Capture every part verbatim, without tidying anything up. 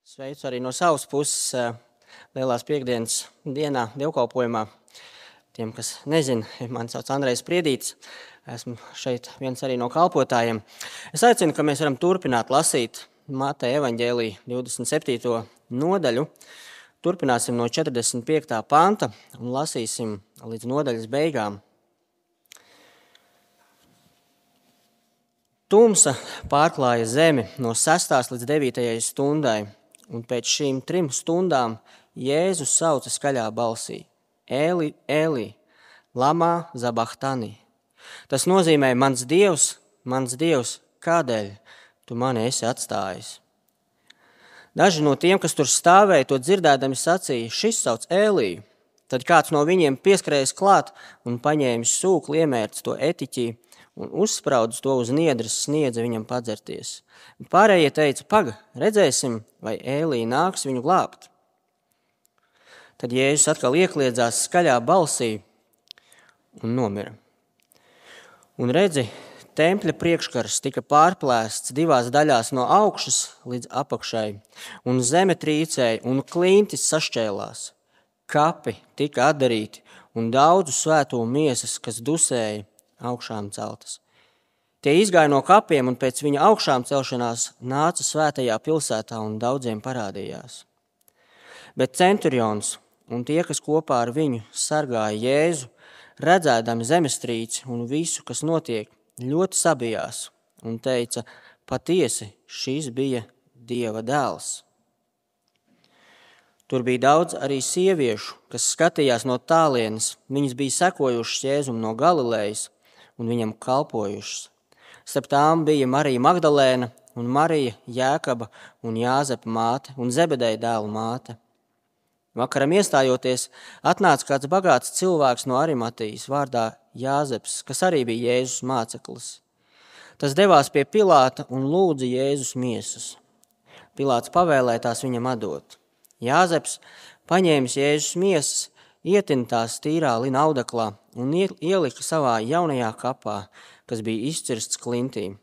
Sveicu arī no savas puses Lielās piekdienas dienā dievkalpojumā. Tiem, kas nezina, mani sauc Andrejs Priedītis. Esmu šeit viens arī no kalpotājiem. Es aicinu, ka mēs varam turpināt lasīt Mateja evaņģēlija divdesmit septīto nodaļu. Turpināsim no četrdesmit piektā panta un lasīsim līdz nodaļas beigām. Tumsa pārklāja zemi no sestās līdz devītajai stundai, un pēc šīm trim stundām Jēzus sauca skaļā balsī: Eli, Eli, lama zabachtani. Tas nozīmē: mans Dievs, mans Dievs, kādēļ tu mani esi atstājis? Daži no tiem, kas tur stāvēja, to dzirdēdami sacīja: šis sauc Eliju. Tad kāds no viņiem pieskrējas klāt un paņēmis sūkli, iemērts to etiķī un uzspraudis to uz niedres, sniedza viņam padzerties. Pārējie teica: paga, redzēsim, vai Elija nāks viņu glābt. Tad Jēzus atkal iekliedzās skaļā balsī un nomira. Un redzi, tempļa priekškars tika pārplēsts divās daļās no augšas līdz apakšai, un zeme trīcēja, un klintis sašķēlās. Kapi tika atdarīti, un daudzu svēto miesas, kas dusēja, augšām celtas. Tie izgāja no kapiem, un pēc viņa augšām celšanās nāca svētajā pilsētā un daudziem parādījās. Bet centurions un tie, kas kopā ar viņu sargāja Jēzu, redzēdami zemestrīci un visu, kas notiek, ļoti sabijās un teica: patiesi, šis bija Dieva dēls. Tur bija daudz arī sieviešu, kas skatījās no tālienes. Viņas bija sekojušas Jēzum no Galilejas un viņam kalpojušas. Starp tām bija Marija Magdalēna un Marija, Jēkaba un Jāzepa māte un Zebedeja dēlu māte. Vakaram iestājoties, atnāca kāds bagāts cilvēks no Arimatijas vārdā Jāzeps, kas arī bija Jēzus māceklis. Tas devās pie Pilāta un lūdza Jēzus miesas. Pilāts pavēlēja tās viņam atdot. Jāzeps, paņēmis Jēzus miesas, ietina tās tīrā lina audeklā un ielika savā jaunajā kapā, kas bija izcirsts klintī,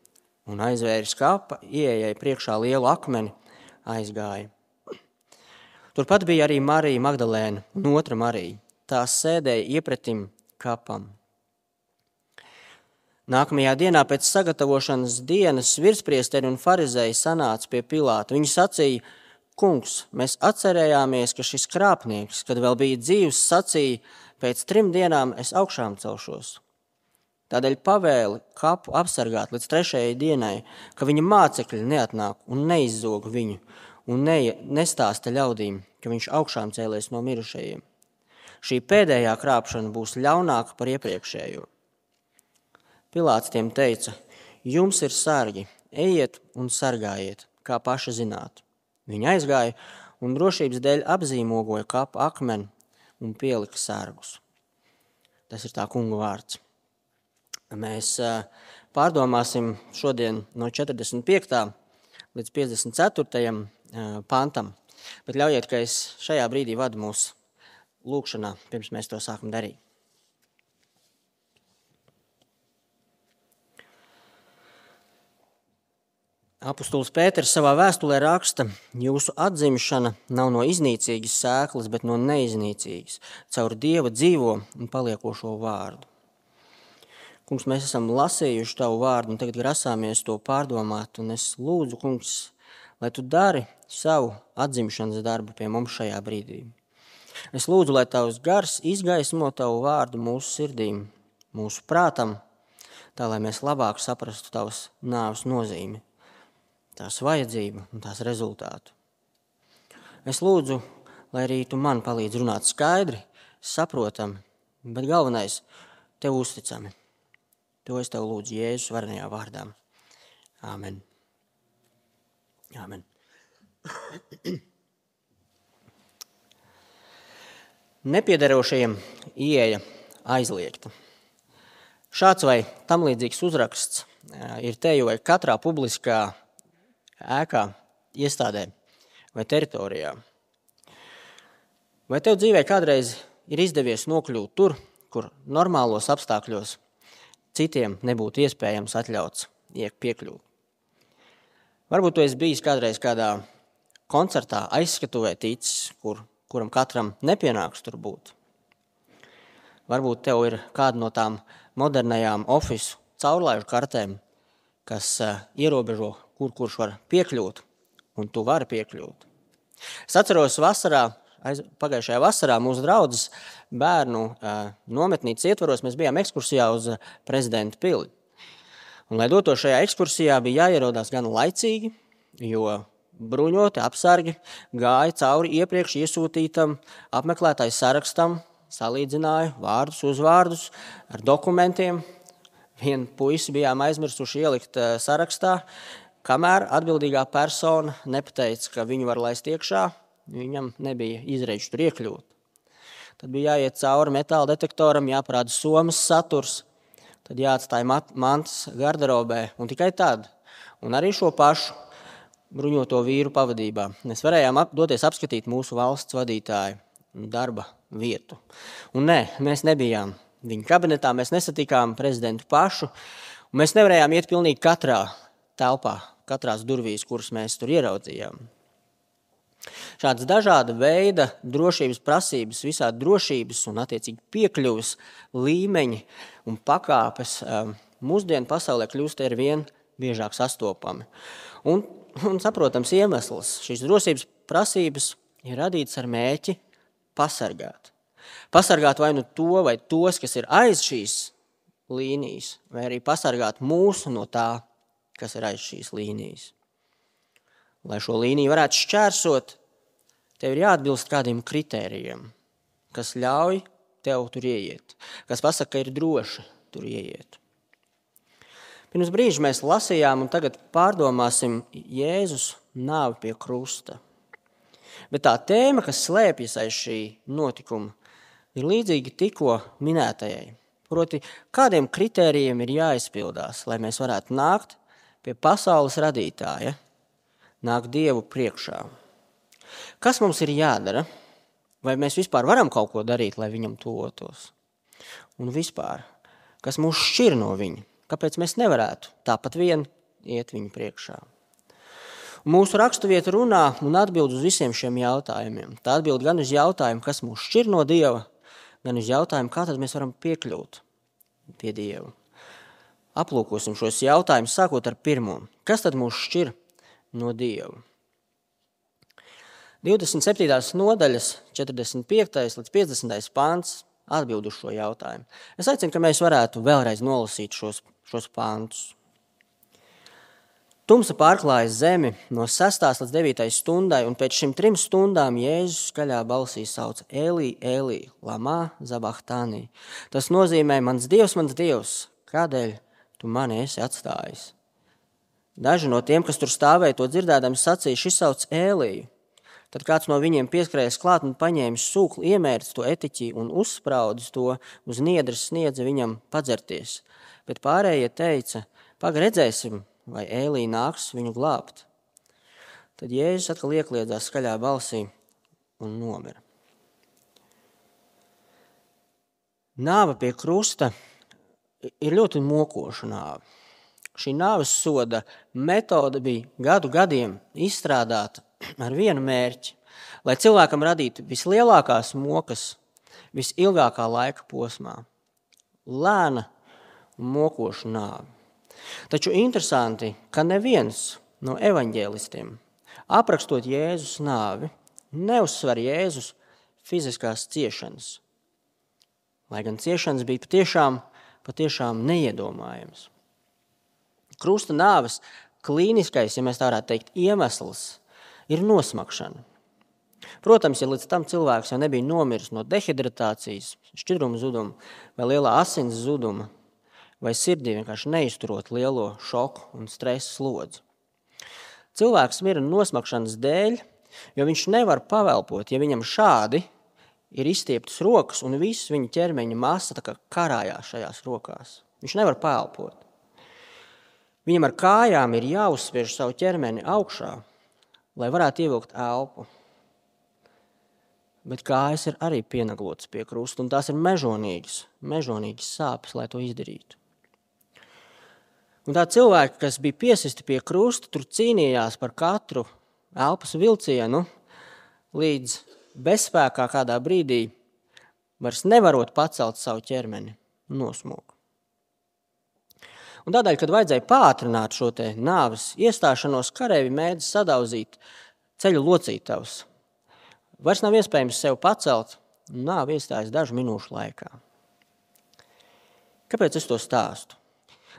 un aizvēris kapa, ieejai priekšā lielu akmeni, aizgāja. Turpat bija arī Marija Magdalēna un otra Marija. Tās sēdēja iepretim kapam. Nākamajā dienā pēc sagatavošanas dienas virspriesteri un farizēji sanāca pie Pilāta. Viņi sacīja: kungs, mēs atcerējāmies, ka šis krāpnieks, kad vēl bija dzīvs, sacīja: pēc trim dienām es augšām celšos. Tādēļ pavēli kapu apsargāt līdz trešajai dienai, ka viņa mācekļi neatnāk un neizzog viņu un ne, nestāsta ļaudīm, ka viņš augšām cēlies no mirušajiem. Šī pēdējā krāpšana būs ļaunāka par iepriekšējo. Pilāts tiem teica: jums ir sargi, ejiet un sargājiet, kā paši zināt. Viņi aizgāja un drošības dēļ apzīmogoja kapu akmeni un pielika sargus. Tas ir tā kunga vārds. Mēs pārdomāsim šodien no četrdesmit piektā līdz piecdesmit ceturtajam pantam, bet ļaujiet, ka es šajā brīdī vadu mūsu lūkšanā, pirms mēs to sākam darīt. Apostols Pēters savā vēstulē raksta: jūsu atzimšana nav no iznīcīgas sēklas, bet no neiznīcīgas, caur Dieva dzīvo un paliekošo vārdu. Kungs, mēs esam lasījuši tavu vārdu un tagad grasāmies to pārdomāt, un es lūdzu, kungs, lai tu dari savu atzimšanas darbu pie mums šajā brīdī. Es lūdzu, lai tavs gars izgaismo tavu vārdu mūsu sirdīm, mūsu prātam, tā lai mēs labāk saprastu tavas nāves nozīmi, tās vajadzību un tās rezultātu. Es lūdzu, lai arī tu man palīdz runāt skaidri, saprotami, bet galvenais tev uzticami. To es tev lūdzu Jēzus varenajā vārdā. Āmen. Āmen. Nepiederošajiem ieeja aizliegta. Šāds vai tam līdzīgs uzraksts ir teju vai katrā publiskā ēkā, iestādē vai teritorijā. Vai tev dzīvē kādreiz ir izdevies nokļūt tur, kur normālos apstākļos citiem nebūtu iespējams atļauts piekļūt? Varbūt tu esi bijis kādreiz kādā koncertā aizskatuvē ticis, kur, kuram katram nepienāks tur būt. Varbūt tev ir kāda no tām modernajām ofisu caurlaižu kartēm, kas uh, ierobežo, kur kurš var piekļūt, un tu vari piekļūt. Es atceros vasarā, aiz, pagājušajā vasarā mūsu draudzes bērnu uh, nometnītes ietvaros mēs bijām ekskursijā uz uh, Prezidenta pili. Un, lai doto šajā ekskursijā, bija jāierodās gan laicīgi, jo bruņoti apsargi gāja cauri iepriekš iesūtītam apmeklētāju sarakstam, salīdzināja vārdus, uzvārdus ar dokumentiem. Vienu puisi bijām aizmirsuši ielikt sarakstā, kamēr atbildīgā persona nepateica, ka viņu var laist iekšā, viņam nebija izreidžu tur iekļūt. Tad bija jāiet cauri metāla detektoram, jāparāda somas saturs, tad jāatstāja mantas garderobē, un tikai tad, un arī šo pašu bruņoto vīru pavadībā, mēs varējām ap, doties apskatīt mūsu valsts vadītāju darba vietu. Un nē, mēs nebijām viņa kabinetā, mēs nesatikām prezidentu pašu, un mēs nevarējām iet pilnīgi katrā telpā, katrās durvīs, kuras mēs tur ieraudzījām. Šādas dažāda veida drošības prasības, visādi drošības un attiecīgi piekļuves līmeņi un pakāpes mūsdienu pasaulē kļūst ar vien biežāk sastopami. Un, un saprotams iemesls, šīs drošības prasības ir radītas ar mērķi pasargāt. Pasargāt vai nu to vai tos, kas ir aiz šīs līnijas, vai arī pasargāt mūsu no tā, kas ir aiz šīs līnijas. Lai šo līniju varētu šķērsot, tev ir jāatbilst kādiem kritērijiem, kas ļauj tev tur ieiet, kas pasaka, ka ir droši tur ieiet. Pirms brīža mēs lasījām un tagad pārdomāsim Jēzus nāvi pie krusta. Bet tā tēma, kas slēpjas aiz šī notikuma, ir līdzīgi tikko minētajai. Proti, kādiem kritērijiem ir jāizpildās, lai mēs varētu nākt pie pasaules radītāja, nāk Dievu priekšā. Kas mums ir jādara? Vai mēs vispār varam kaut ko darīt, lai viņam tuvotos? Un vispār, kas mūs šķir no viņa? Kāpēc mēs nevarētu tāpat vien iet viņu priekšā? Un mūsu raksturvieta runā un atbild uz visiem šiem jautājumiem. Tā atbild gan uz jautājumu, kas mūs šķir no Dieva, gan uz jautājumu, kā tad mēs varam piekļūt pie Dieva. Aplūkosim šos jautājumus, sākot ar pirmo. Kas tad mūs šķir no Dieva? divdesmit septītās nodaļas, četrdesmit piektais līdz piecdesmitais pants atbild uz šo jautājumu. Es aicinu, ka mēs varētu vēlreiz nolasīt šos, šos pantus. Tumsa pārklāja zemi no sestās līdz devītai stundai, un pēc šim trim stundām Jēzus skaļā balsī sauca Elī, Elī, lamā zabachtānī. Tas nozīmē, mans Dievs, mans Dievs, kādēļ tu mani esi atstājis? Daži no tiem, kas tur stāvēja, to dzirdēdami sacīja, šis sauc Eliju. Tad kāds no viņiem pieskrējas klāt un paņēmis sūkli, iemērts to etiķi un uzspraudis to uz niedres sniedza viņam padzerties. Bet pārējie teica, paga redzēsim, vai Elī nāks viņu glābt. Tad Jēzus atkal iekliedzās skaļā balsī un nomira. Nāve pie krusta ir ļoti mokoša nāve. Šī nāves soda metode bija gadu gadiem izstrādāta ar vienu mērķi, lai cilvēkam radītu vislielākās mokas visilgākā laika posmā. Lēna un mokoša nāve. Taču interesanti, ka neviens no evaņģēlistiem, aprakstot Jēzus nāvi, neuzsver Jēzus fiziskās ciešanas. Lai gan ciešanas bija patiešām, patiešām neiedomājams. Krusta nāves klīniskais, ja mēs tā varētu teikt, iemesls ir nosmakšana. Protams, ja līdz tam cilvēks jau nebija nomiris no dehidratācijas, šķidruma zuduma vai lielā asins zuduma, vai sirdī vienkārši neizturot lielo šoku un stresa slodzi. Cilvēks mira nosmakšanas dēļ, jo viņš nevar pavelpot, ja viņam šādi ir izstieptas rokas un viss viņa ķermeņa masa tā kā karājās šajās rokās. Viņš nevar paelpot. Viņam ar kājām ir jāuzspiež savu ķermeni augšā, lai varētu ievilkt elpu. Bet kājas ir arī pienaglotas pie krusta, un tās ir mežonīgas, mežonīgas sāpes, lai to izdarītu. Un tā cilvēki, kas bija piesisti pie krusta, tur cīnījās par katru elpas vilcienu līdz bezspēkā kādā brīdī, vairs nevarot pacelt savu ķermeni, nosmūk. Un tādēļ, kad vajadzēja pātrināt šo te nāves iestāšanos, kareivji mēdz sadauzīt ceļu locītavus. Vairs nav iespējams sev pacelt, un nāve iestājas dažu minūšu laikā. Kāpēc es to stāstu?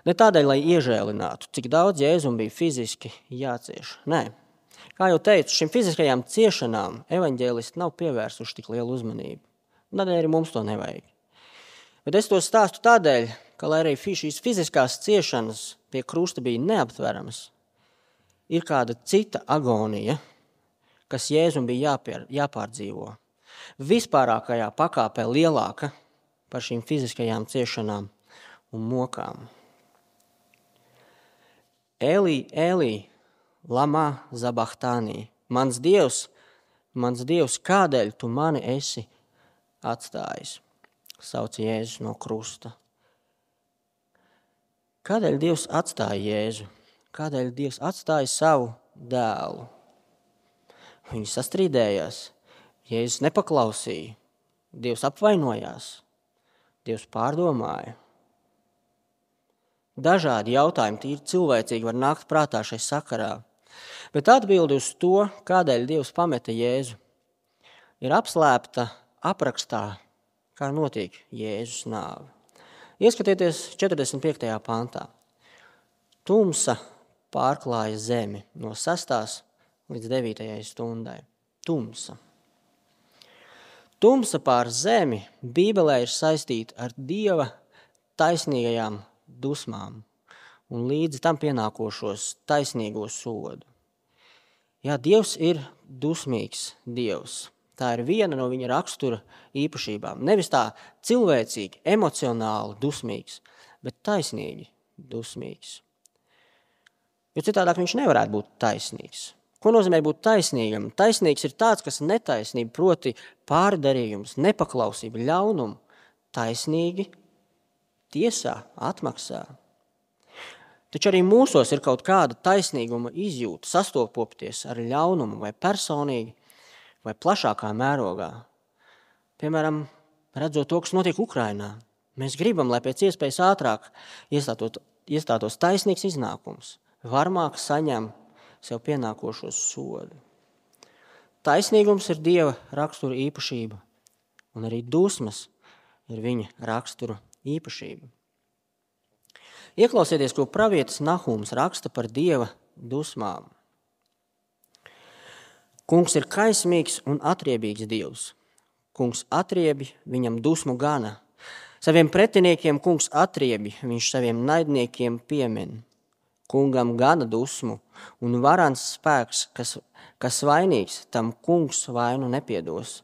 Ne tādēļ, lai iežēlinātu, cik daudz Jēzum bija fiziski jācieš. Nē. Kā jau teicu, šim fiziskajām ciešanām evaņģēlisti nav pievērsuši tik lielu uzmanību. Tādēļ arī mums to nevajag. Bet es to stāstu tādēļ, ka, lai arī šīs fiziskās ciešanas pie krusta bija neaptveramas, ir kāda cita agonija, kas Jēzum bija jāpier, jāpārdzīvo. Vispārākajā pakāpē lielāka par šīm fiziskajām ciešanām un mokām. Elī, Elī, lamā zabahtānī. Mans Dievs, mans Dievs, kādēļ tu mani esi atstājis? Sauca Jēzus no krusta. Kādēļ Dievs atstāja Jēzu? Kādēļ Dievs atstāja savu dēlu? Viņi sastrīdējās. Jēzus nepaklausīja. Dievs apvainojās. Dievs pārdomāja. Dažādi jautājumi tīri cilvēcīgi var nākt prātā šai sakarā. Bet atbildi uz to, kādēļ Dievs pameta Jēzu, ir apslēpta aprakstā, kā notiek Jēzus nāve. Ieskatieties četrdesmit piektajā pantā. Tumsa pārklāja zemi no sestās līdz devītajai stundai. Tumsa. Tumsa pār zemi Bībelē ir saistīta ar Dieva taisnīgajām dusmām un līdz tam pienākošos taisnīgo sodu. Jā, Dievs ir dusmīgs Dievs. Tā ir viena no viņa rakstura īpašībām. Nevis tā cilvēcīgi, emocionāli dusmīgs, bet taisnīgi dusmīgs. Jo citādāk viņš nevarētu būt taisnīgs. Ko nozīmē būt taisnīgam? Taisnīgs ir tāds, kas netaisnība, proti pārdarījums, nepaklausība, ļaunumu, taisnīgi tiesā, atmaksā. Taču arī mūsos ir kaut kāda taisnīguma izjūta, sastopoties ar ļaunumu vai personīgi, vai plašākā mērogā. Piemēram, redzot to, kas notiek Ukrainā. Mēs gribam, lai pēc iespējas ātrāk iestātos, iestātos taisnīgs iznākums, varmāk saņem sev pienākošos sodu. Taisnīgums ir Dieva rakstura īpašība, un arī dusmas ir viņa rakstura īpašība. Ieklausieties, ko pravietis Nahums raksta par Dieva dusmām. Kungs ir kaismīgs un atriebīgs Dievs. Kungs atriebi, viņam dusmu gana. Saviem pretiniekiem kungs atriebi, viņš saviem naidniekiem piemin. Kungam gana dusmu un varans spēks, kas, kas vainīgs, tam kungs vainu nepiedos.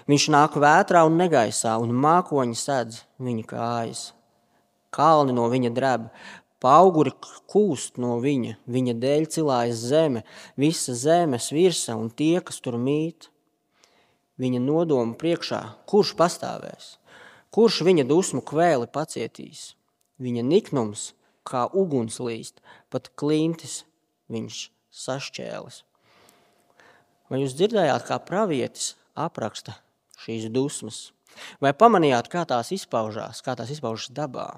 Viņš nāk vētrā un negaisā, un mākoņi sedz viņa kājas. Kalni no viņa dreb, pauguri kūst no viņa, viņa dēļ cilājas zeme, visa zemes virsa un tie, kas tur mīt. Viņa nodoma priekšā, kurš pastāvēs, kurš viņa dusmu kvēli pacietīs. Viņa niknums kā uguns līst, pat klintis viņš sašķēlis. Vai jūs dzirdējāt, kā pravietis apraksta šīs dusmas? Vai pamanījāt, kā tās izpaužās, kā tās izpaužas dabā?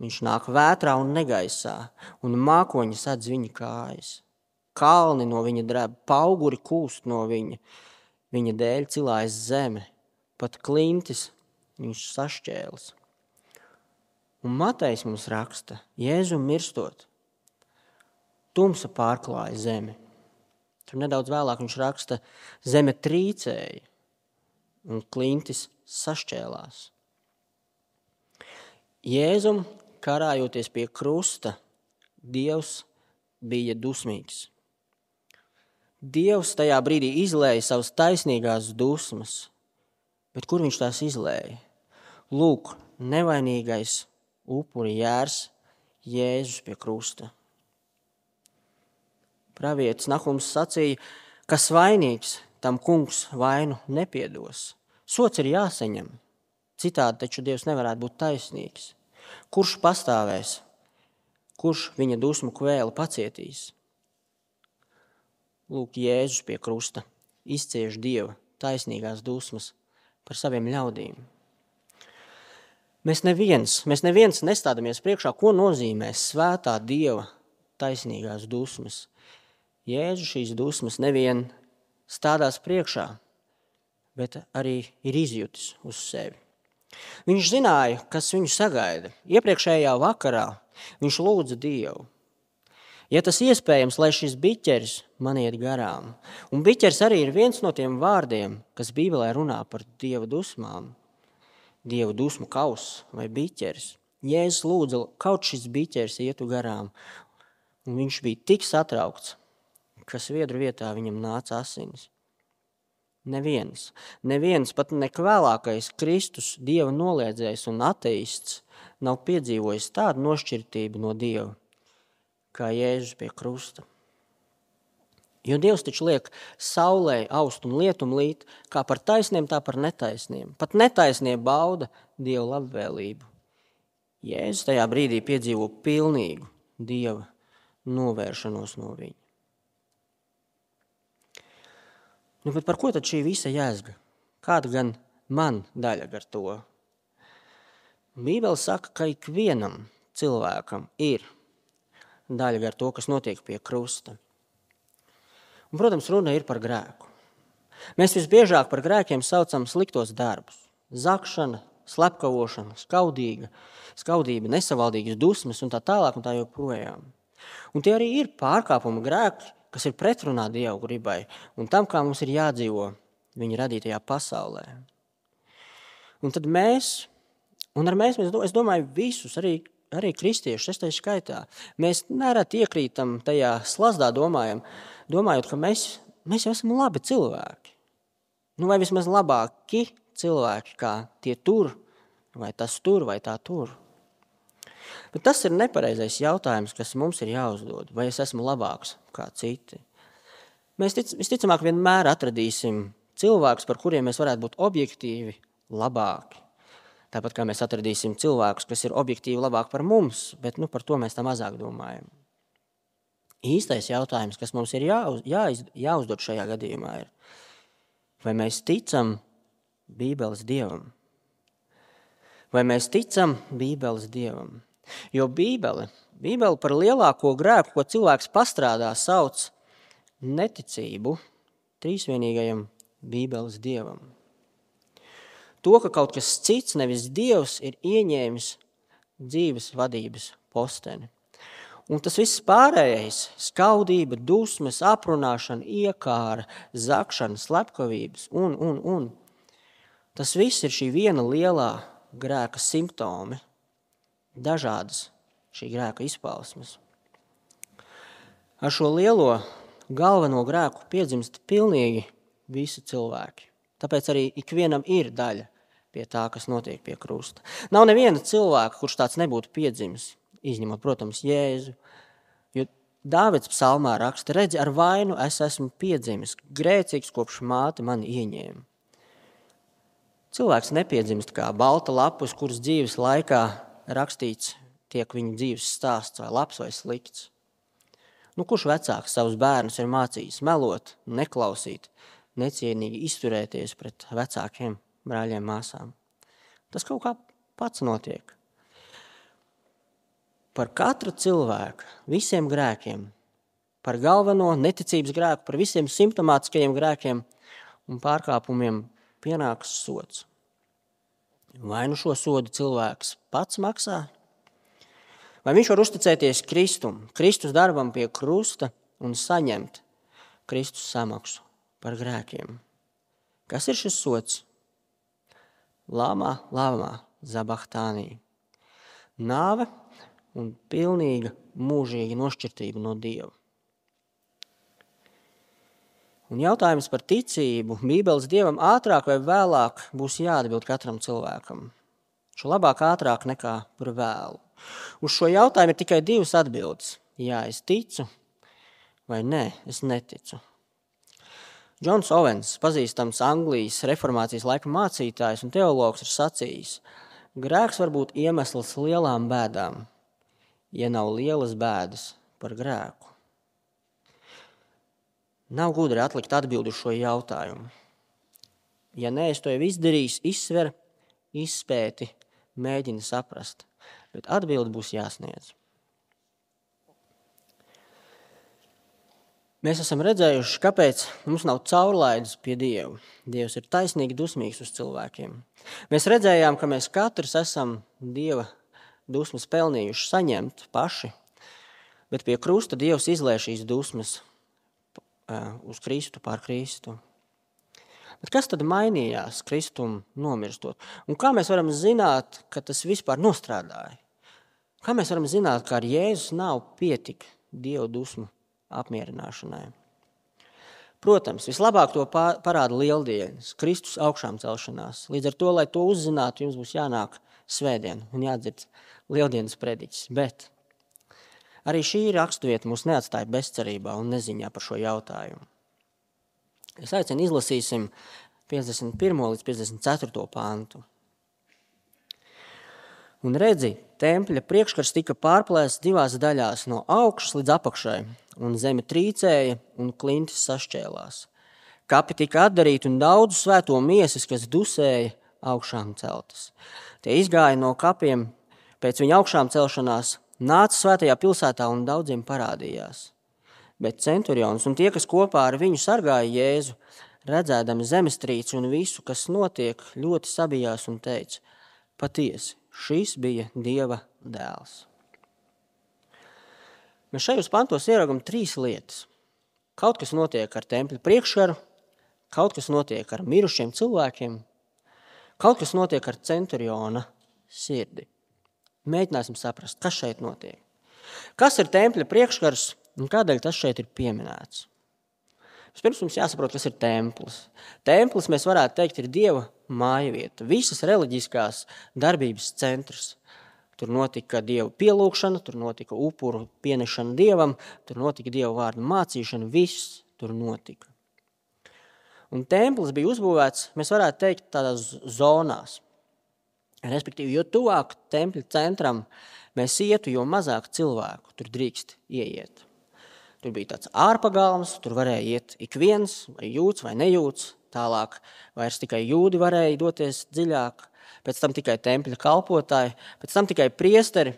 Viņš nāk vētrā un negaisā, un mākoņi sedz viņa kājas. Kalni no viņa dreb, pauguri kūst no viņa, viņa dēļ cilājas zeme, pat klintis viņš sašķēlis. Un Matejs mums raksta, Jēzum mirstot, tumsa pārklāja zemi. Tur nedaudz vēlāk viņš raksta, zeme trīcēja un klintis sašķēlās. Jēzum karājoties pie krusta, Dievs bija dusmīgs. Dievs tajā brīdī izlēja savas taisnīgās dusmas, bet kur viņš tās izlēja? Lūk, nevainīgais upuri jērs Jēzus pie krusta. Pravietis Nahums sacīja, kas vainīgs, tam kungs vainu nepiedos. Sots ir jāsaņem, citādi taču Dievs nevarētu būt taisnīgs. Kurš pastāvēs? Kurš viņa dusmu kvēli pacietīs? lūk, Jēzus pie krusta izcieš Dieva taisnīgās dusmas par saviem ļaudīm. Mēs neviens, mēs neviens nestādamies priekšā, ko nozīmē svētā Dieva taisnīgās dusmas. Jēzus šīs dusmas nevien stādās priekšā, bet arī ir izjutis uz sevi. Viņš zināja, kas viņu sagaida. Iepriekšējā vakarā viņš lūdza Dievu. Ja tas iespējams, lai šis biķeris man iet garām. Un biķeris arī ir viens no tiem vārdiem, kas Bībelē runā par Dieva dusmām. Dieva dusmu kauss vai biķeris. Jēzus lūdza, kaut šis biķeris ietu garām. Un viņš bija tik satraukts, ka sviedru vietā viņam nāca asinis. Neviens, neviens, pat nekvēlākais Kristus, Dieva noliedzējs un ateists, nav piedzīvojis tādu nošķirtību no Dieva, kā Jēzus pie krusta. Jo Dievs taču liek saulē aust un lietum līt, kā par taisniem, tā par netaisniem. Pat netaisnie bauda Dieva labvēlību. Jēzus tajā brīdī piedzīvo pilnīgu Dieva novēršanos no viņa. Nu, bet par ko tad šī visa jēzga? Kāda gan man daļa ar to? Bībele saka, ka ikvienam cilvēkam ir daļa ar to, kas notiek pie krusta. Un, protams, runa ir par grēku. Mēs visbiežāk par grēkiem saucam sliktos darbus. Zakšana, slepkavošana, skaudīga, skaudība, nesavaldīgas dusmas un tā tālāk un tā joprojām. Un tie arī ir pārkāpuma grēki, kas ir pretrunā Dieva gribai un tam, kā mums ir jādzīvo viņa radītajā pasaulē. Un tad mēs, un ar mēs, es domāju, visus, arī, arī kristiešus, es tai skaitā, mēs nereti iekrītam tajā slazdā domājam, domājot, ka mēs, mēs jau esam labi cilvēki. Nu, vai vismaz labāki cilvēki, kā tie tur, vai tas tur, vai tā tur. Bet tas ir nepareizais jautājums, kas mums ir jāuzdod, vai es esmu labāks kā citi. Mēs tic, visticamāk vienmēr atradīsim cilvēkus, par kuriem mēs varētu būt objektīvi labāki. Tāpat kā mēs atradīsim cilvēkus, kas ir objektīvi labāki par mums, bet nu, par to mēs tā mazāk domājam. Īstais jautājums, kas mums ir jāuz, jāiz, jāuzdod šajā gadījumā ir, vai mēs ticam Bībeles Dievam? Vai mēs ticam Bībeles Dievam? Jo Bībele, Bībele par lielāko grēku, ko cilvēks pastrādā, sauc neticību trīsvienīgajam Bībeles Dievam. To, ka kaut kas cits, nevis Dievs, ir ieņēmis dzīves vadības posteni. Un tas viss pārējais, skaudība, dusmas, aprunāšana, iekāra, zakšana, slepkavības un, un, un. Tas viss ir šī viena lielā grēka simptomi. Dažādas šī grēka izpausmes. Ar šo lielo galveno grēku piedzimst pilnīgi visi cilvēki. Tāpēc arī ikvienam ir daļa pie tā, kas notiek pie krusta. Nav neviena cilvēka, kurš tāds nebūtu piedzimis, izņemot, protams, Jēzu. Jo Dāvids psalmā raksta, redzi, ar vainu es esmu piedzimis, grēcīgs kopš māte mani ieņēma. Cilvēks nepiedzimst kā balta lapus, kuras dzīves laikā rakstīts tiek viņa dzīves stāsts vai labs vai slikts. Nu, kurš vecāks savus bērnus ir mācījis melot, neklausīt, necienīgi izturēties pret vecākiem brāļiem, māsām? Tas kaut kā pats notiek. Par katru cilvēku, visiem grēkiem, par galveno neticības grēku, par visiem simptomātiskajiem grēkiem un pārkāpumiem pienāks sods. Vai nu šo sodu cilvēks pats maksā? Vai viņš var uzticēties Kristum, Kristus darbam pie krusta un saņemt Kristus samaksu par grēkiem? Kas ir šis sods? Lāmā, lāmā, zabahtānī. Nāve un pilnīga mūžīga nošķirtība no Dieva. Un jautājums par ticību Bībeles Dievam ātrāk vai vēlāk būs jāatbild katram cilvēkam. Šo labāk ātrāk nekā par vēlu. Uz šo jautājumu ir tikai divas atbildes. Jā, es ticu, vai nē, es neticu. Džons Ovens, pazīstams Anglijas reformācijas laika mācītājs un teologs, ir sacījis, grēks var būt iemesls lielām bēdām, ja nav lielas bēdas par grēku. Nav gudri atlikt atbildi uz šo jautājumu. Ja nē, es to jau izdarījis, izsver, izpēti, mēģini saprast, bet atbildi būs jāsniedz. Mēs esam redzējuši, kāpēc mums nav caurlaides pie Dievu. Dievs ir taisnīgi dusmīgs uz cilvēkiem. Mēs redzējām, ka mēs katrs esam Dieva dusmas pelnījuši saņemt paši, bet pie krusta Dievs izlēja šīs dusmas uz Kristu pār Kristu. Bet kas tad mainījās Kristum nomirstot? Un kā mēs varam zināt, ka tas vispār nostrādāja? Kā mēs varam zināt, ka ar Jēzus nav pietika Dieva dusmu apmierināšanai? Protams, vislabāk to parāda lieldienas, Kristus augšām celšanās. Līdz ar to, lai to uzzinātu, jums būs jānāk svētdien un jādzird lieldienas prediķis. Bet arī šī raksturvieta mūs neatstāja bezcerībā un neziņā par šo jautājumu. Es aicinu izlasīsim piecdesmit pirmo līdz piecdesmit ceturto pāntu. Un redzi, tempļa priekškars tika pārplēsts divās daļās, no augšas līdz apakšai, un zeme trīcēja un klintis sašķēlās. Kapi tika atdarīti un daudz svēto miesas, kas dusēja, augšām celtas. Tie izgāja no kapiem pēc viņa augšām celšanās, nāca svētajā pilsētā un daudziem parādījās. Bet centurions un tie, kas kopā ar viņu sargāja Jēzu, redzēdami zemestrīci un visu, kas notiek, ļoti sabijās un teica: patiesi, šis bija Dieva dēls. Mēs šajos pantos ieraugam trīs lietas. Kaut kas notiek ar tempļa priekškaru, kaut kas notiek ar mirušiem cilvēkiem, kaut kas notiek ar centuriona sirdi. Mēģināsim saprast, kas šeit notiek. Kas ir tempļa priekškars un kādēļ tas šeit ir pieminēts? Vispirms mums jāsaprot, kas ir templis. Templis, mēs varētu teikt, ir Dieva mājavieta, visas reliģiskās darbības centrs. Tur notika Dieva pielūgšana, tur notika upuru pienešana Dievam, tur notika Dieva vārdu mācīšana, viss tur notika. Un templis bija uzbūvēts, mēs varētu teikt, tādās zonās. Respektīvi, jo tuvāk tempļa centram mēs ietu, jo mazāk cilvēku tur drīkst ieiet. Tur bija tāds ārpagalms, tur varēja iet ik viens, vai jūts vai nejūts. Tālāk vairs tikai jūdi varēja doties dziļāk, pēc tam tikai tempļa kalpotāji, pēc tam tikai priesteri.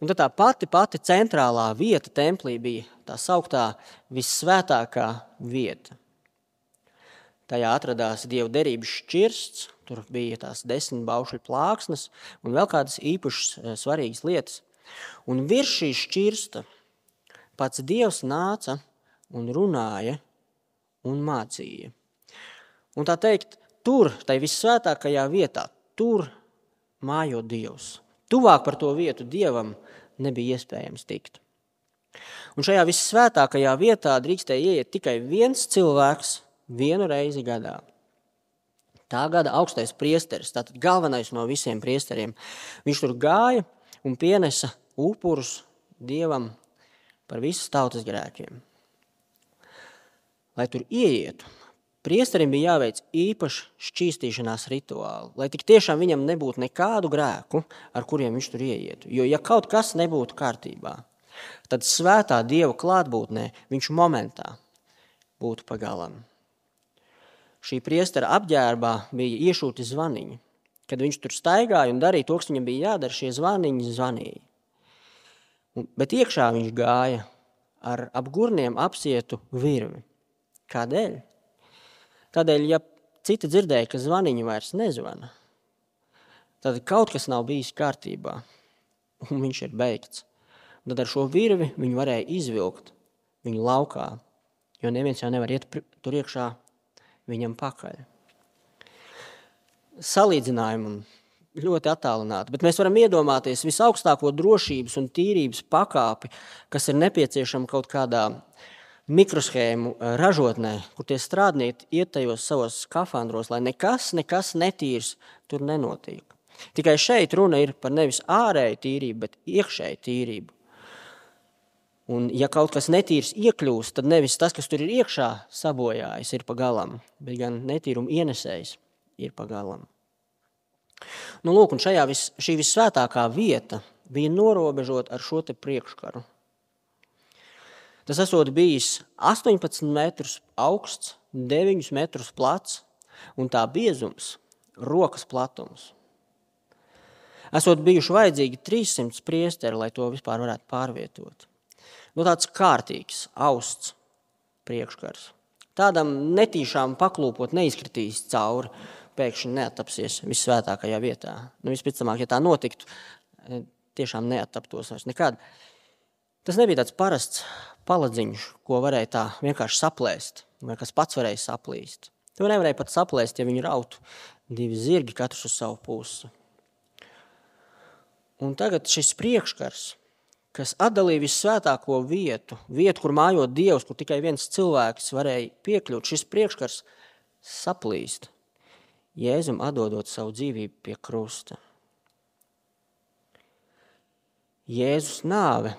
Un tad tā pati, pati centrālā vieta templī bija tā sauktā vissvētākā vieta. Tajā atradās Dieva derības šķirsts, tur bija tās desmit baušļu plāksnes un vēl kādas īpašas svarīgas lietas. Un virs šī šķirsta pats Dievs nāca un runāja un mācīja. Un tā teikt, tur, tai vissvētākajā vietā, tur mājo Dievs. Tuvāk par to vietu Dievam nebija iespējams tikt. Un šajā vissvētākajā vietā drīkstēja ieiet tikai viens cilvēks vienu reizi gadā. Tā gada augstais priesteris, tātad galvenais no visiem priesteriem, viņš tur gāja un pienesa upurus Dievam par visas tautas grēkiem. Lai tur ieietu, priesterim bija jāveic īpaši šķīstīšanās rituāli, lai tik tiešām viņam nebūtu nekādu grēku, ar kuriem viņš tur ieietu. Jo ja kaut kas nebūtu kārtībā, tad svētā Dieva klātbūtnē viņš momentā būtu pagalam. Šī priestera apģērbā bija iešūti zvaniņi. Kad viņš tur staigāja un darīja to, kas viņam bija jādara, šie zvaniņi zvanīja. Bet iekšā viņš gāja ar ap gurniem apsietu virvi. Kādēļ? Tādēļ, ja citi dzirdēja, ka zvaniņi vairs nezvana, tad kaut kas nav bijis kārtībā, un viņš ir beigts. Un tad ar šo virvi viņu varēja izvilkt viņu laukā, jo neviens jau nevar iet tur iekšā viņam pakaļ. Salīdzinājumu ļoti attālināti, bet mēs varam iedomāties visaugstāko drošības un tīrības pakāpi, kas ir nepieciešama kaut kādā mikroshēmu ražotnē, kur tie strādnieki iet tajos savos skafandros, lai nekas, nekas netīrs tur nenotiek. Tikai šeit runa ir par nevis ārēju tīrību, bet iekšēju tīrību. Un ja kaut kas netīrs iekļūst, tad nevis tas, kas tur ir iekšā sabojājis, ir pagalam, bet gan netīrumu ienesējs ir pagalam. Nu, lūk, un šajā vis, šī vissvētākā vieta bija norobežota ar šo te priekškaru. Tas esot bijis astoņpadsmit metrus augsts, deviņus metrus plats un tā biezums rokas platums. Esot bijuši vajadzīgi trīssimti priesteri, lai to vispār varētu pārvietot. Nu, tāds kārtīgs, austs priekškars. Tādam netīšām paklūpot neizkritīs cauri, pēkšņi neattapsies vissvētākajā vietā. Nu, vispicamāk, ja tā notiktu, tiešām neattaptos vairs nekad. Tas nebija tāds parasts paladziņš, ko varēja tā vienkārši saplēst, vai kas pats varēja saplīst. To nevarēja pat saplēst, ja viņi rautu divi zirgi, katrs uz savu pusi. Un tagad šis priekškars, kas atdalīja vissvētāko vietu, vietu, kur mājot Dievs, kur tikai viens cilvēks varēja piekļūt, šis priekškars saplīst, Jēzum atdodot savu dzīvību pie krusta. Jēzus nāve,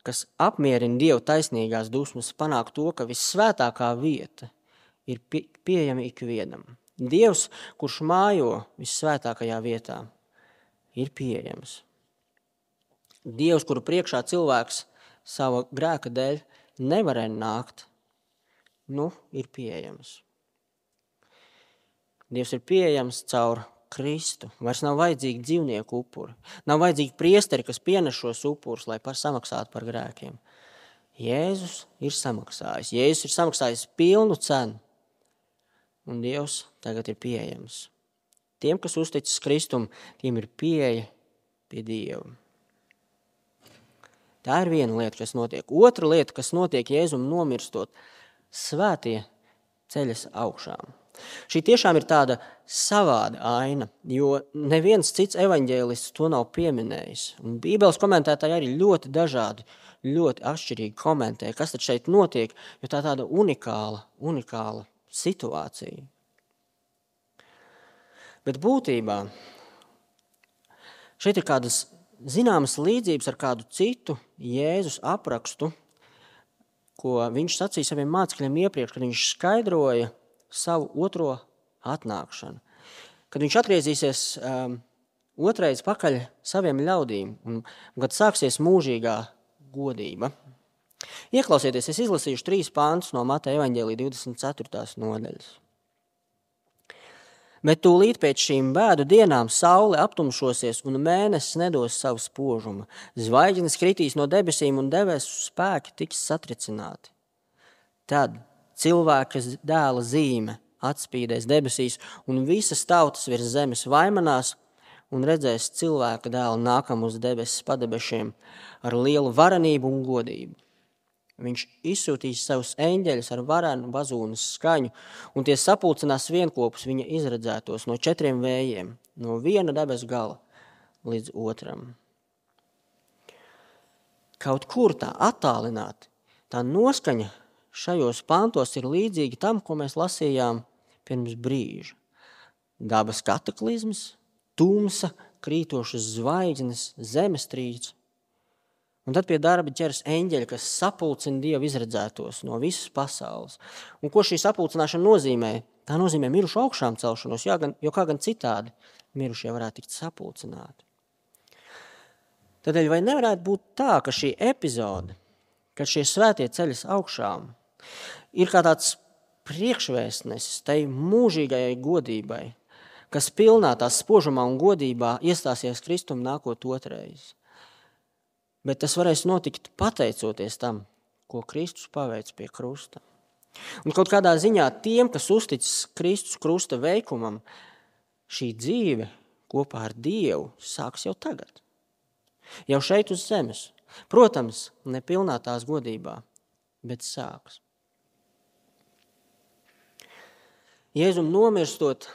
kas apmierina Dievu taisnīgās dusmas, panāk to, ka vissvētākā vieta ir pie, pieejama ikvienam. Dievs, kurš mājo vissvētākajā vietā, ir pieejams. Dievs, kuru priekšā cilvēks sava grēka dēļ nevarēja nākt, nu, ir pieejams. Dievs ir pieejams caur Kristu. Vairs nav vajadzīgi dzīvnieku upuri. Nav vajadzīgi priesteri, kas pienes šos upurus, lai par samaksātu par grēkiem. Jēzus ir samaksājis. Jēzus ir samaksājis pilnu cenu. Un Dievs tagad ir pieejams. Tiem, kas uzticas Kristum, tiem ir pieeja pie Dieva. Tā ir viena lieta, kas notiek. Otra lieta, kas notiek Jēzum nomirstot, svētie ceļas augšām. Šī tiešām ir tāda savāda aina, jo neviens cits evaņģēlists to nav pieminējis. Un Bībeles komentētāji arī ļoti dažādi, ļoti atšķirīgi komentē, kas tad šeit notiek, jo tā tāda unikāla, unikāla situācija. Bet būtībā šeit ir kādas zināmas līdzības ar kādu citu Jēzus aprakstu, ko viņš sacīja saviem mācekļiem iepriekš, kad viņš skaidroja savu otro atnākšanu. Kad viņš atgriezīsies um, otrais pakaļ saviem ļaudīm un kad sāksies mūžīgā godība. Ieklausieties, es izlasīšu trīs pāntus no Mateja evaņģēlija divdesmit ceturtās nodaļas. Bet tūlīt pēc šīm bēdu dienām saule aptumšosies un mēnesis nedos savu spožumu. Zvaigznes kritīs no debesīm un debesu spēki tiks satricināti. Tad cilvēka dēla zīme atspīdēs debesīs un visas tautas virs zemes vaimanās un redzēs cilvēka dēlu nākam uz debesis padebešiem ar lielu varenību un godību. Viņš izsūtīs savus eņģeļus ar varenu bazūnas skaņu, un tie sapulcinās vienkopus viņa izredzētos no četriem vējiem, no viena debes gala līdz otram. Kaut kur tā attālināti, tā noskaņa šajos pantos ir līdzīga tam, ko mēs lasījām pirms brīža. Dabas kataklizmas, tumsa, krītošas zvaigznes, zemestrīce. Un tad pie darba ķers eņģeļi, kas sapulcina Dievu izredzētos no visas pasaules. Un ko šī sapulcināšana nozīmē? Tā nozīmē mirušu augšām celšanos, jo, gan, jo kā gan citādi mirušie varētu tikt sapulcināti. Tādēļ vai nevarētu būt tā, ka šī epizode, kad šie svētie ceļas augšām, ir kā tāds priekšvēstnesis tai mūžīgajai godībai, kas pilnā tās spožumā un godībā iestāsies Kristum nākot otrais. Bet tas varēs notikt pateicoties tam, ko Kristus paveic pie krusta. Un kaut kādā ziņā tiem, kas uzticas Kristus krusta veikumam, šī dzīve kopā ar Dievu sāks jau tagad. Jau šeit uz zemes. Protams, ne pilnā tās godībā, bet sāks. Jēzum nomirstot,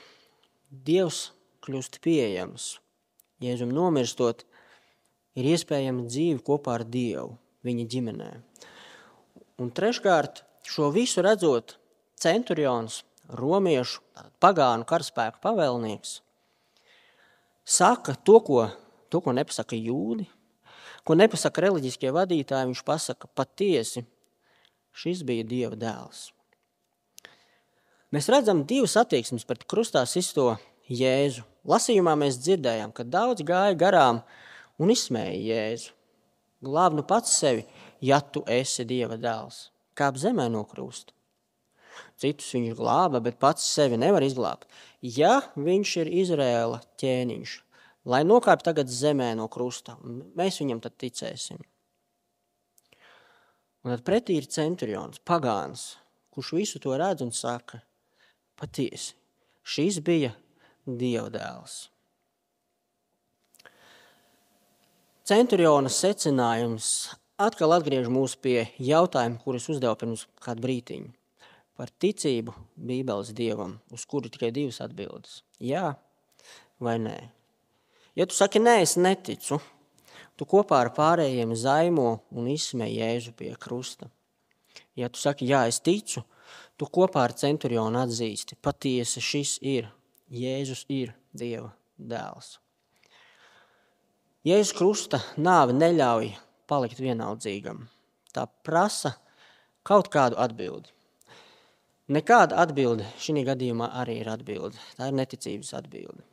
Dievs kļūst pieejams. Jēzum nomirstot, ir iespējama dzīve kopā ar Dievu, viņa ģimenē. Un treškārt, šo visu redzot, centurions, romiešu, pagānu karaspēku pavēlnieks, saka to, ko, to, ko nepasaka jūdi, ko nepasaka reliģiskie vadītāji, viņš pasaka patiesi, šis bija Dieva dēls. Mēs redzam divas attieksmes pret krustā sisto Jēzu. Lasījumā mēs dzirdējām, ka daudz gāja garām un izsmēja Jēzu. Glāb nu pats sevi, ja tu esi Dieva dēls. Kāp zemē no krusta. Citus viņš glāba, bet pats sevi nevar izglābt. Ja viņš ir Izraēla ķēniņš, lai nokāp tagad zemē no krusta, mēs viņam tad ticēsim. Un tad pretī ir centurions, pagāns, kurš visu to redz un saka, patiesi, šis bija Dieva dēls. Centuriona secinājums atkal atgriež mūs pie jautājuma, kurus uzdevu pirms kādu brītiņu. Par ticību Bībeles Dievam, uz kuru tikai divas atbildes. Jā vai nē. Ja tu saki, nē, es neticu, tu kopā ar pārējiem zaimo un izsmej Jēzu pie krusta. Ja tu saki, jā, es ticu, tu kopā ar centurionu atzīsti, patiesi šis ir, Jēzus ir Dieva dēls. Jēzus krusta nāve neļauj palikt vienaldzīgam. Tā prasa kaut kādu atbildi. Nekāda atbilde šī gadījumā arī ir atbilde. Tā ir neticības atbilde.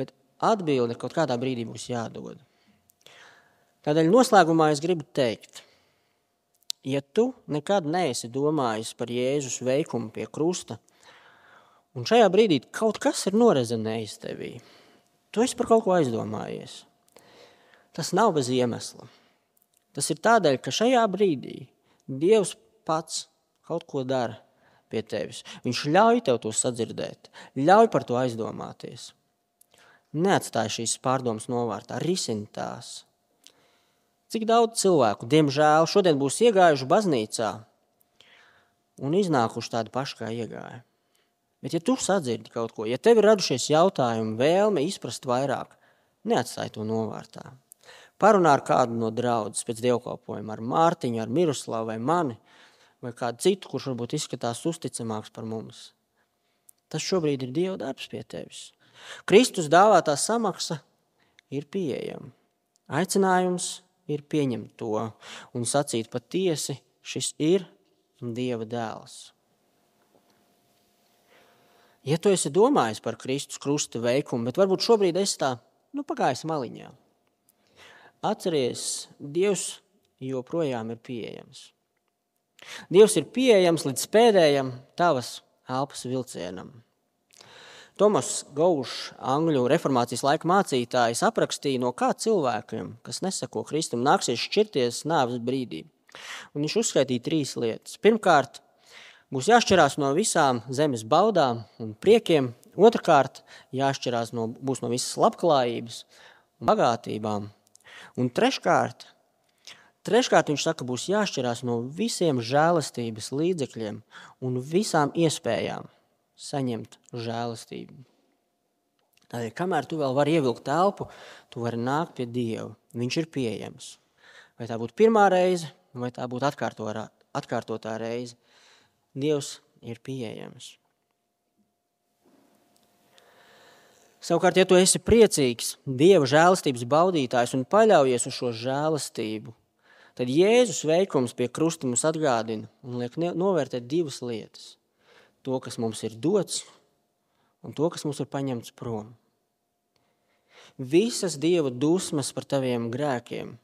Bet atbilde kaut kādā brīdī būs jādod. Tādēļ noslēgumā es gribu teikt, ja tu nekad neesi domājis par Jēzus veikumu pie krusta, un šajā brīdī kaut kas ir norezenējis tevī, tu esi par kaut ko aizdomājies. Tas nav bez iemesla. Tas ir tādēļ, ka šajā brīdī Dievs pats kaut ko dara pie tevis. Viņš ļauj tev to sadzirdēt, ļauj par to aizdomāties. Neatstāj šīs pārdomas novārtā, risini tās. Cik daudz cilvēku, diemžēl, šodien būs iegājuši baznīcā un iznākuši tādi paši, kā iegāja. Bet ja tu sadzirdi kaut ko, ja tev ir radušies jautājumi, vēlme izprast vairāk, neatstāj to novārtā. Parunā ar kādu no draudzes pēc dievkalpojuma, ar Mārtiņu, ar Miroslavu vai mani, vai kādu citu, kurš varbūt izskatās uzticamāks par mums. Tas šobrīd ir Dieva darbs pie tevis. Kristus dāvātā samaksa ir pieejama. Aicinājums ir pieņemt to un sacīt patiesi, šis ir Dieva dēls. Ja tu esi domājis par Kristus krusta veikumu, bet varbūt šobrīd esi tā, nu pagājis maliņā. Atceries, Dievs joprojām ir pieejams. Dievs ir pieejams līdz pēdējam tavas elpas vilcienam. Tomas Gaušs, angļu reformācijas laika mācītājs, aprakstīja, no kā cilvēkiem, kas nesako Kristum, nāksies šķirties nāves brīdī. Un viņš uzskaitīja trīs lietas. Pirmkārt, būs jāšķirās no visām zemes baudām un priekiem. Otrkārt, jāšķirās no, būs no visas labklājības un bagātībām. Un treškārt, treškārt viņš saka, būs jāšķirās no visiem žēlastības līdzekļiem un visām iespējām saņemt žēlastību. Tādēļ, kamēr tu vēl vari ievilkt elpu, tu vari nākt pie Dieva. Viņš ir pieejams. Vai tā būtu pirmā reize, vai tā būtu atkārtotā reize. Dievs ir pieejams. Savukārt, ja tu esi priecīgs, Dieva žēlastības baudītājs un paļaujies uz šo žēlastību, tad Jēzus veikums pie krusta mums atgādina un liek novērtēt divas lietas. To, kas mums ir dots, un to, kas mums ir paņemts prom. Visas Dieva dusmas par taviem grēkiem,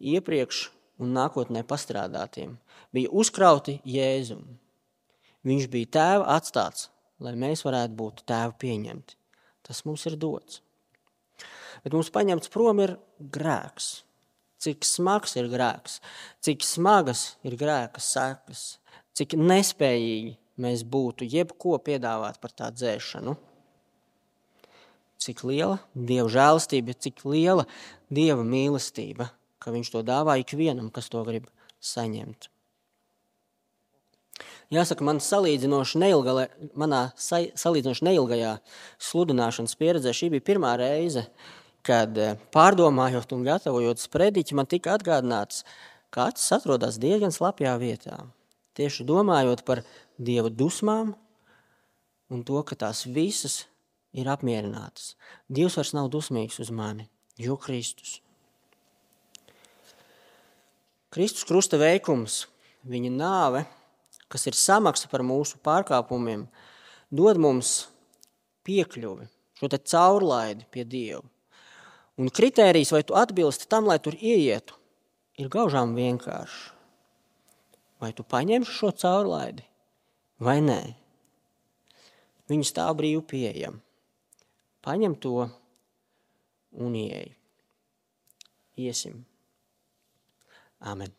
iepriekš un nākotnē pastrādātiem, bija uzkrauti Jēzum. Viņš bija tēva atstāts, lai mēs varētu būt tēva pieņemti. Tas mums ir dots. Bet mums paņemts prom ir grēks. Cik smags ir grēks, cik smagas ir grēka sekas, cik nespējīgi mēs būtu jebko piedāvāt par tā dzēšanu. Cik liela Dieva žēlastība, cik liela Dieva mīlestība, ka viņš to dāvā ikvienam, kas to grib saņemt. Jāsaka, man salīdzinoši neilgā, manā salīdzinoši neilgajā sludināšanas pieredzē šī bija pirmā reize, kad pārdomājot un gatavojot sprediķi, man tika atgādināts, ka acis atrodas diezgan slapjā vietā. Tieši domājot par Dieva dusmām un to, ka tās visas ir apmierinātas. Dievs vairs nav dusmīgs uz mani, jo Kristus. Kristus krusta veikums, viņa nāve, kas ir samaksa par mūsu pārkāpumiem, dod mums piekļuvi, šo te caurlaidi pie Dieva. Un kritērijs, vai tu atbilsti tam, lai tur ieietu, ir gaužām vienkārša. Vai tu paņemsi šo caurlaidi, vai nē? Viņa stāv brīvi pieejama. Paņem to un ieej. Iesim. Amen.